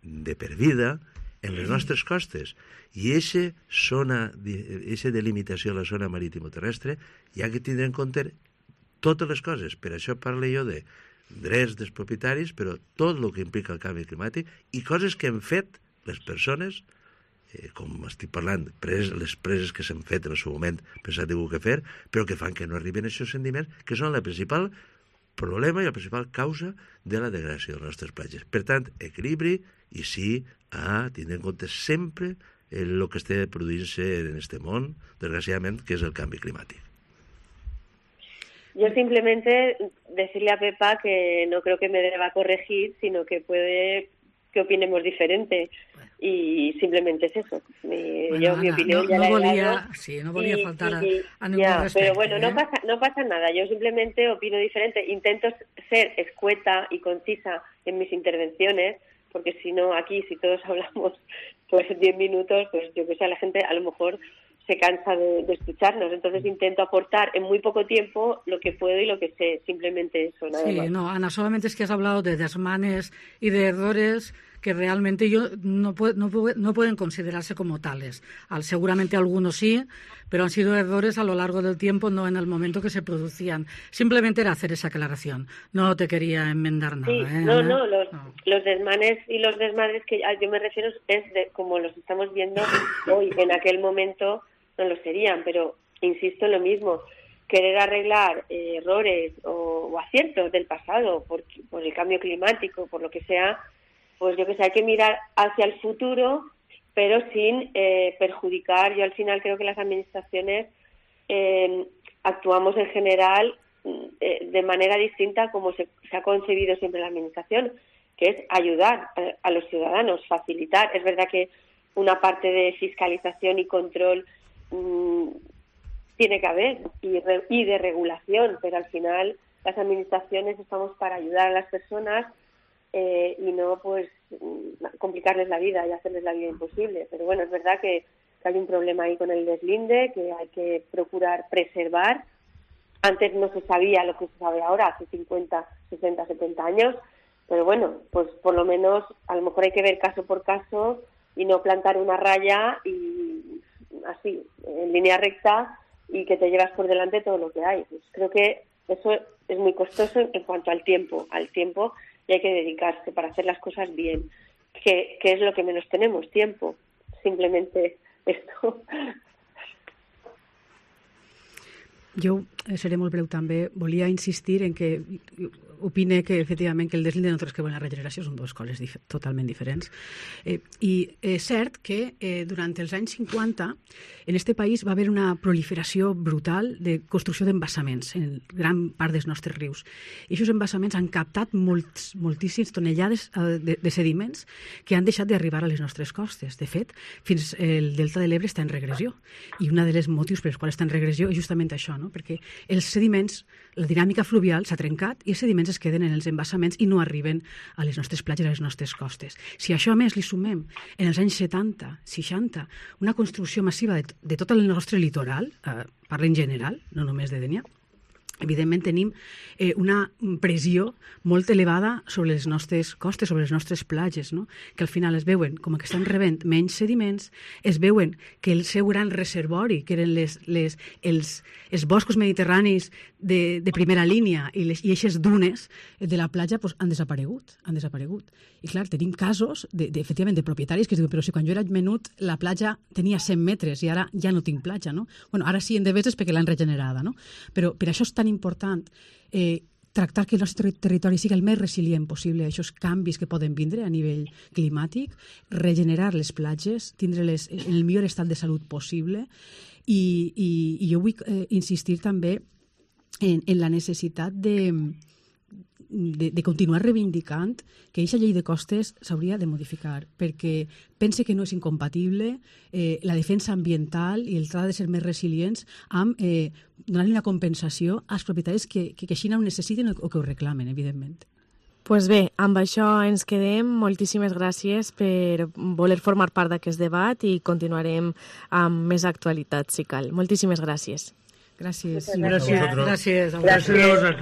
Speaker 4: de per vida en les nostres costes. I aquesta delimitació de la zona marítima terrestre hi ha que tindre en compte totes les coses. Per això parlo jo de drets dels propietaris, però tot el que implica el canvi climàtic i coses que han fet les persones, com estic parlant, les preses que s'han fet en el seu moment, pensat que què fer, però que fan que no arriben a aquests sentiments, que són la principal problema i la principal causa de la degradació de les nostres platges. Per tant, equilibri i sí a tindre en compte sempre el que està produint-se en este món, desgraciadament, que és el canvi climàtic.
Speaker 8: Yo simplemente decirle a Pepa que no creo que me deba corregir, sino que puede que opinemos diferente. Y simplemente es eso. Yo mi opinión ya la he dado.
Speaker 5: Sí, no volia faltar a ningún
Speaker 8: ya,
Speaker 5: respecte.
Speaker 8: Pero bueno, no pasa nada. Yo simplemente opino diferente. Intento ser escueta y concisa en mis intervenciones, porque si no, aquí, si todos hablamos pues 10 minutos, pues yo que sé, la gente a lo mejor se cansa de escucharnos. Entonces intento aportar en muy poco tiempo lo que puedo y lo que sé. Simplemente eso, nada más.
Speaker 5: Sí, no, Ana, solamente es que has hablado de desmanes y de errores que realmente no pueden considerarse como tales. Seguramente algunos sí, pero han sido errores a lo largo del tiempo, no en el momento que se producían. Simplemente era hacer esa aclaración. No te quería enmendar nada.
Speaker 8: Sí, los desmanes y los desmadres que yo me refiero es de como los estamos viendo hoy. En aquel momento no lo serían, pero insisto en lo mismo. Querer arreglar errores o aciertos del pasado por el cambio climático, por lo que sea, pues yo que sé, hay que mirar hacia el futuro, pero sin perjudicar. Yo al final creo que las administraciones actuamos en general de manera distinta como se ha concebido siempre la administración, que es ayudar a los ciudadanos, facilitar. Es verdad que una parte de fiscalización y control tiene que haber y de regulación, pero al final las administraciones estamos para ayudar a las personas y no pues complicarles la vida y hacerles la vida imposible. Pero bueno, es verdad que hay un problema ahí con el deslinde, que hay que procurar preservar. Antes no se sabía lo que se sabe ahora, hace 50, 60, 70 años, pero bueno, pues por lo menos a lo mejor hay que ver caso por caso y no plantar una raya y así, en línea recta, y que te llevas por delante todo lo que hay. Pues creo que eso es muy costoso en cuanto al tiempo, y hay que dedicarse para hacer las cosas bien, que es lo que menos tenemos, tiempo, simplemente esto.
Speaker 3: Jo seré molt breu també. Volia insistir en que opine que efectivament que el deslinde no que la regeneració són dues coses totalment diferents. I és cert que durant els anys 50 en este país va haver una proliferació brutal de construcció d'embassaments en gran part dels nostres rius. I aquests embassaments han captat moltíssimes tonellades de sediments que han deixat d'arribar a les nostres costes. De fet, fins el delta de l'Ebre està en regressió. I un dels motius per els quals està en regressió és justament això, no? Perquè els sediments, la dinàmica fluvial s'ha trencat i els sediments es queden en els embassaments i no arriben a les nostres platges, a les nostres costes. Si això a més li sumem en els anys 70, 60, una construcció massiva de tot el nostre litoral, parla en general, no només de Dénia, evidentment tenim una pressió molt elevada sobre les nostres costes, sobre les nostres platges, no? Que al final es veuen com que estan rebent menys sediments, es veuen que el seu gran reservori, que eren els boscos mediterranis de primera línia i aquestes dunes de la platja pues, han desaparegut. I clar, tenim casos efectivament de propietaris que es diuen, però si quan jo era menut la platja tenia 100 metres i ara ja no tinc platja, no? Bueno, ara sí en Deveses perquè l'han regenerada, no? Però per això és tan important tractar que el nostre territori sigui el més resilient possible a aquests canvis que poden vindre a nivell climàtic, regenerar les platges, tindre-les en el millor estat de salut possible i jo vull insistir també en la necessitat de continuar reivindicant que aquesta llei de costes s'hauria de modificar, perquè pense que no és incompatible la defensa ambiental i el tracte de ser més resilients amb donar-li una compensació als propietaris que així ho necessiten o que ho reclamen, evidentment.
Speaker 9: Pues bé, amb això ens quedem. Moltíssimes gràcies per voler formar part d'aquest debat i continuarem amb més actualitat, si cal. Moltíssimes gràcies.
Speaker 3: Gràcies.
Speaker 7: Gràcies.
Speaker 3: Gràcies.
Speaker 7: Gràcies.